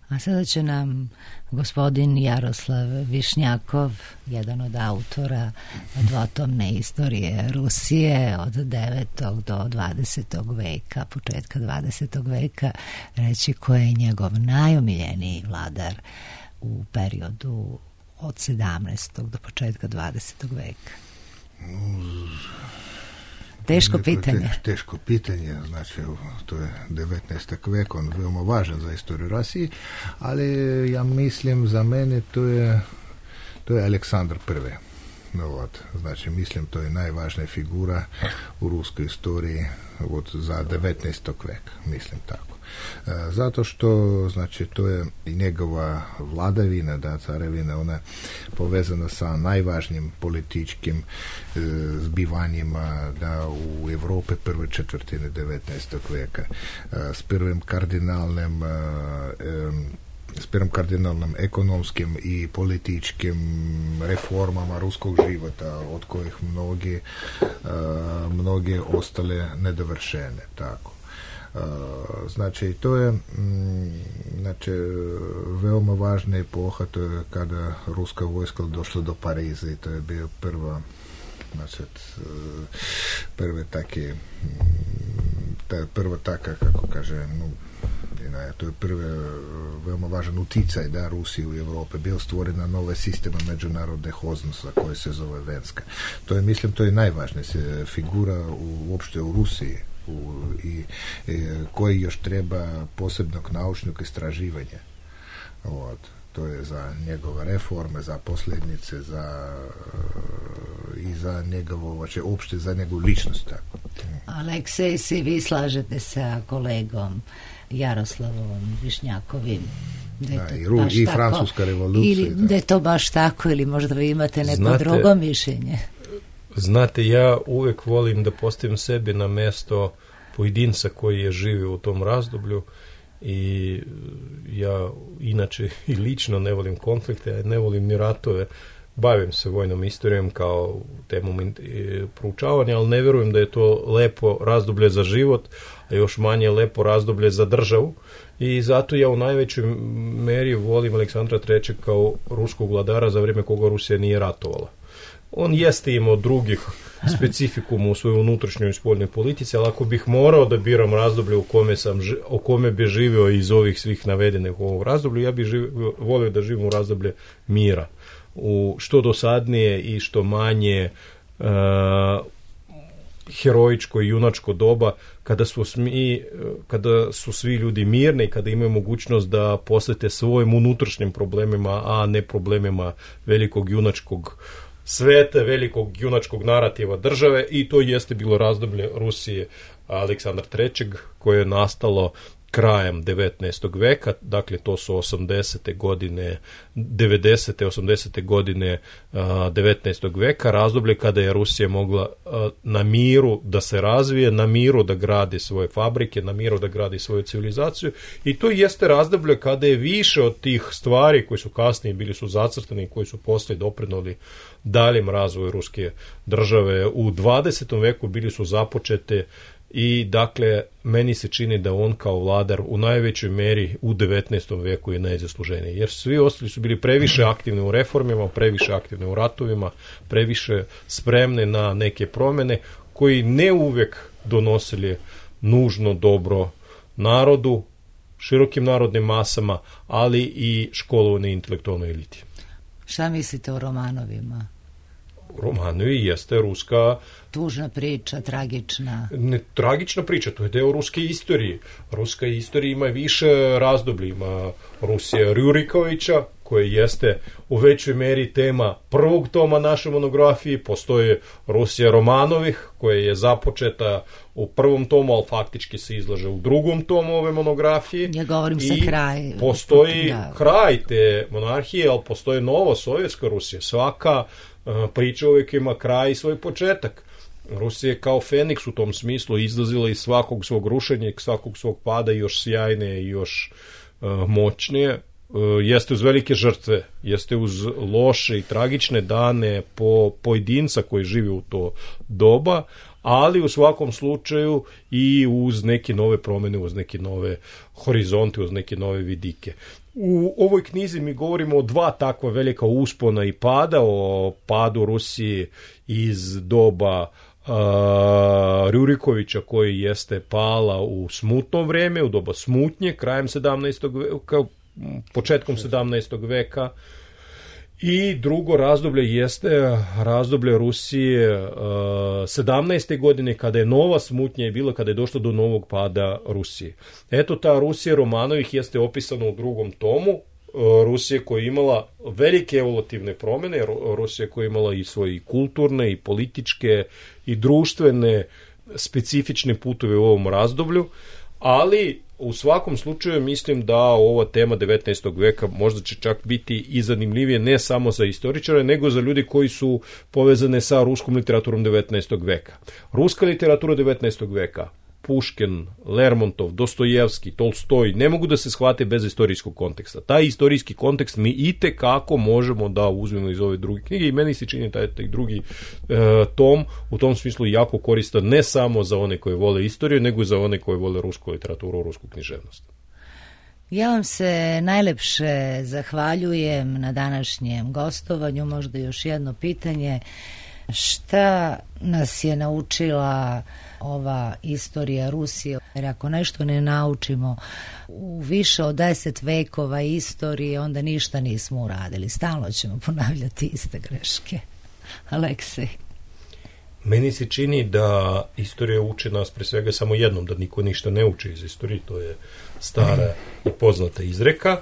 Speaker 1: A sada će nam gospodin Jaroslav Višnjakov, jedan od autora dvotomne istorije Rusije od 9. do 20. veka, početka 20. veka, reći ko je njegov najomiljeniji vladar u periodu od 17. do početka 20. veka. Teško pitanje.
Speaker 8: Teško pitanje, znači to je 19. vek, on veoma važan za istoriju Rusije, ali ja mislim za mene to je Aleksandar I. Znači, mislim, to je najvažnija figura u ruskoj istoriji za 19. veka, mislim tako. Zato što, znači, to je i njegova vladavina, da, carevina, ona je povezana sa najvažnijim političkim zbivanjima, da, u Evropi prve četvrtine 19. veka, s prvim kardinalnim ekonomskim i političkim reformama ruskog života, od kojih mnogi ostale nedovršene, tako. Znači, to je veoma važna epoha, to je kada ruska vojska došla do Pariza i to je bio prva taka, kako kaže, to je prvi veoma važan uticaj, da, Rusiji u Evropi, bio stvorena nova sistema međunarodnih odnosa koja se zove Venska. To je, mislim, to je najvažnija figura uopšte u Rusiji i koji još treba posebnog naučnog istraživanja. To je za njegove reforme, za posljednice, i za njegovo, uopšte za njegovu ličnost. Tako.
Speaker 1: Aleksej, si vi slažete sa kolegom Jaroslavom Višnjakovim?
Speaker 8: I Francuska revolucija.
Speaker 1: Ili da je to baš tako, ili možda vi imate neko drugo mišljenje?
Speaker 6: Znate, ja uvijek volim da postavim sebi na mesto pojedinca koji je živio u tom razdoblju i ja inače i lično ne volim konflikte, ne volim ni ratove, bavim se vojnom istorijom kao temom proučavanja, ali ne vjerujem da je to lepo razdoblje za život, a još manje lepo razdoblje za državu i zato ja u najvećoj meri volim Aleksandra III. Kao ruskog vladara za vrijeme koga Rusija nije ratovala. On jeste imao drugih specifikuma u svojoj unutrašnjoj i spoljnoj politici, ali ako bih morao da biram razdoblje o kome bi živio iz ovih svih navedenih u ovom razdoblju, ja bih volio da živim u razdoblje mira. U što dosadnije i što manje heroičko i junačko doba, kada su svi ljudi mirni i kada imaju mogućnost da posvete svojim unutrašnjim problemima, a ne problemima velikog junačkog sveta, velikog junačkog narativa države, i to jeste bilo razdoblje Rusije Aleksandra III. Koje je nastalo krajem 19. veka, dakle to su 80. godine, 90. 80. godine 19. veka, razdoblje kada je Rusija mogla na miru da se razvije, na miru da gradi svoje fabrike, na miru da gradi svoju civilizaciju, i to jeste razdoblje kada je više od tih stvari koji su kasnije bili su zacrtani i koji su poslije doprinijeli daljem razvoju ruske države u 20. veku bili su započete. I dakle, meni se čini da on kao vladar u najvećoj meri u 19. veku je najzasluženiji, jer svi ostali su bili previše aktivni u reformima, previše aktivni u ratovima, previše spremni na neke promjene koji ne uvijek donosili nužno dobro narodu, širokim narodnim masama, ali i školovanoj intelektualnoj eliti.
Speaker 1: Šta mislite o Romanovima?
Speaker 6: Romanovi jeste ruska...
Speaker 1: Tužna priča, tragična.
Speaker 6: Ne tragična priča, to je deo ruske istorije. Ruska istorija ima više razdoblja. Ima Rusija Rurikovića, koji jeste u većoj meri tema prvog toma naše monografije. Postoje Rusija Romanovih, koja je započeta u prvom tomu, ali faktički se izlaže u drugom tomu ove monografije.
Speaker 1: Ja govorim sa kraj.
Speaker 6: Postoji kraj te monarhije, ali postoji nova sovjetska Rusija. Svaka priča uvijek ima kraj i svoj početak. Rusija je kao Feniks u tom smislu izlazila iz svakog svog rušenja i svakog svog pada još sjajnije i još moćnije. Jeste uz velike žrtve, jeste uz loše i tragične dane po pojedinca koji živi u to doba, ali u svakom slučaju i uz neke nove promjene, uz neke nove horizonte, uz neke nove vidike. U ovoj knjizi mi govorimo o dva takva velika uspona i pada, o padu Rusije iz doba Rurikovića, koji jeste pala u smutno vrijeme, u doba smutnje, krajem 17. veka, početkom 17. veka, i drugo razdoblje jeste razdoblje Rusije 17. godine, kada je nova smutnja i bila, kada je došlo do novog pada Rusije. Eto, ta Rusija Romanovih jeste opisana u drugom tomu Rusije koja je imala velike evolutivne promjene, Rusija koja je imala i svoje kulturne i političke i društvene specifične putove u ovom razdoblju, ali u svakom slučaju mislim da ova tema 19. veka možda će čak biti i zanimljivije ne samo za istoričare, nego za ljudi koji su povezane sa ruskom literaturom 19. veka. Ruska literatura 19. veka, Puškin, Lermontov, Dostojevski, Tolstoj, ne mogu da se shvate bez istorijskog konteksta. Taj istorijski kontekst mi itekako možemo da uzmemo iz ove druge knjige i meni se čini taj drugi tom u tom smislu jako koristan ne samo za one koje vole istoriju, nego i za one koje vole rusku literaturu, rusku književnost.
Speaker 1: Ja vam se najlepše zahvaljujem na današnjem gostovanju. Možda još jedno pitanje. Šta nas je naučila ova istorija Rusije? Jer ako nešto ne naučimo u više od 10 vekova istorije, onda ništa nismo uradili. Stalno ćemo ponavljati iste greške. Aleksej.
Speaker 6: Meni se čini da istorija uči nas pre svega samo jednom, da niko ništa ne uči iz istorije, to je stara i poznata izreka,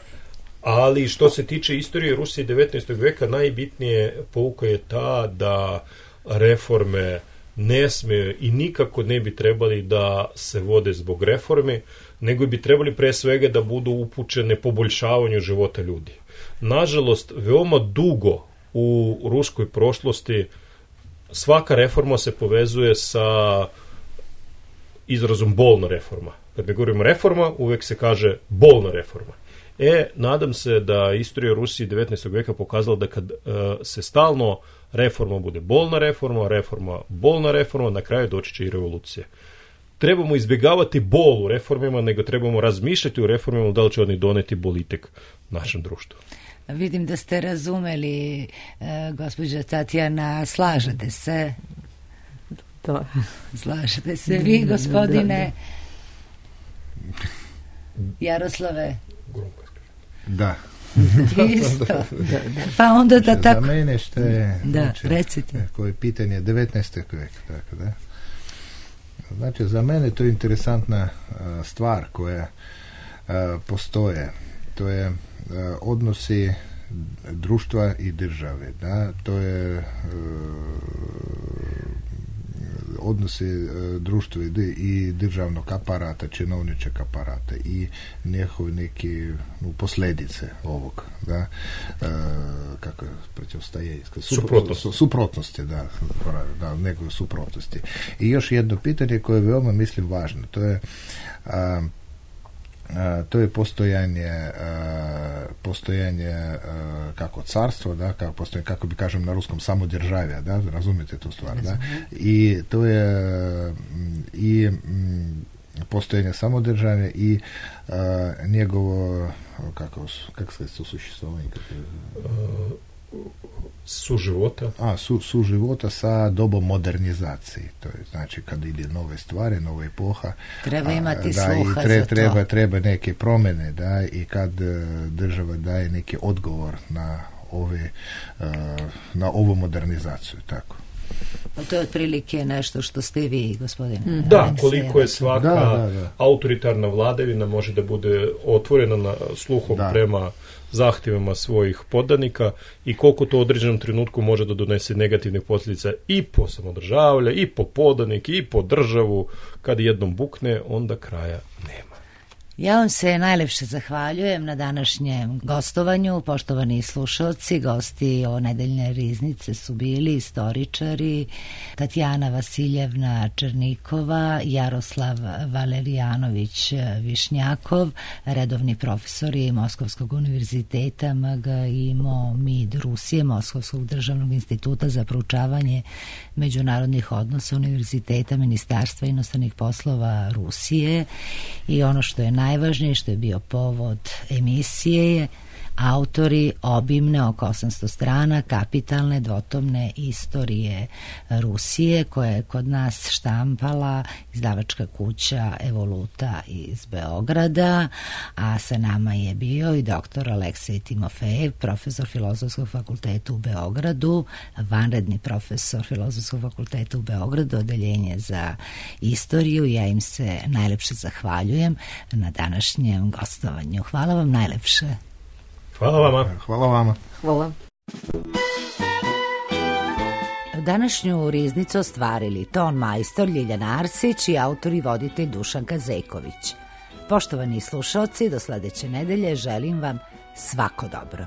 Speaker 6: ali što se tiče istorije Rusije 19. veka, najbitnije pouka je ta da reforme ne smije i nikako ne bi trebali da se vode zbog reforme, nego bi trebali pre svega da budu upućene poboljšavanju života ljudi. Nažalost, veoma dugo u ruskoj prošlosti svaka reforma se povezuje sa izrazom bolna reforma. Kad mi govorimo reforma, uvek se kaže bolna reforma. Nadam se da istorija Rusije 19. veka pokazala da kad se stalno reforma bude bolna reforma, bolna reforma, na kraju doći će i revolucija. Trebamo izbjegavati bol u reformima, nego trebamo razmišljati u reformima da li će oni doneti bolitek našem društvu.
Speaker 1: Vidim da ste razumeli, gospođa Tatjana, slažete se?
Speaker 7: Da.
Speaker 1: Slažete se vi, gospodine Jaroslave?
Speaker 8: Da.
Speaker 1: Isto. Pa onda da tako...
Speaker 8: Za mene što je...
Speaker 1: Da, recite.
Speaker 8: Koje pitanje 19. veka, tako da. Znači, za mene to je interesantna stvar koja postoje. To je odnosi društva i države, da, to je odnosi društva i državnog aparata, činovničkog aparata i njihove neke posljedice ovog, da, kako je protivstajanje, suprotnosti, da, nekoj suprotnosti. I još jedno pitanje koje je veoma, mislim, važno, to je postojanje kako carstvo, da, kako bi kažem na ruskom samodržavja, da, razumijete tu stvar, da, i to je i postojanje samodržavja i njegovo kako se to sušestvovanje suživota sa dobom modernizacije. To je znači kad ide nove stvari, nova epoha.
Speaker 1: Treba imati
Speaker 8: da,
Speaker 1: sluha
Speaker 8: za
Speaker 1: to.
Speaker 8: Treba neke promjene, da, i kad država daje neki odgovor na ovu modernizaciju, tako.
Speaker 1: To je otprilike nešto što ste vi, gospodine.
Speaker 6: Da, koliko je svaka autoritarna vladavina može da bude otvorena na sluhom prema zahtjevima svojih podanika i koliko to u određenom trenutku može da donese negativne posljedice i po samodržavlja, i po podanike, i po državu. Kad jednom bukne, onda kraja nema.
Speaker 1: Ja vam se najlepše zahvaljujem na današnjem gostovanju. Poštovani slušalci, gosti o nedeljne riznice su bili istoričari Tatjana Vasiljevna Černikova, Jaroslav Valerijanović Višnjakov, redovni profesori Moskovskog univerziteta MGIMO MID Rusije, Moskovskog državnog instituta za proučavanje međunarodnih odnosa Univerziteta Ministarstva inostranih poslova Rusije, i ono što je najvažnije, što je bio povod emisije, je autori obimne oko 800 strana kapitalne dvotomne istorije Rusije, koja je kod nas štampala izdavačka kuća Evoluta iz Beograda, a sa nama je bio i doktor Aleksej Timofejev, profesor Filozofskog fakulteta u Beogradu, vanredni profesor Filozofskog fakulteta u Beogradu, odeljenje za istoriju. Ja im se najlepše zahvaljujem na današnjem gostovanju. Hvala vam najlepše.
Speaker 6: Hvala vama.
Speaker 8: Hvala vama.
Speaker 7: Hvala.
Speaker 1: Današnju riznicu ostvarili ton majstor Ljiljana Arsić i autor i voditelj Dušan Kazeković. Poštovani slušalci, do sledeće nedelje želim vam svako dobro.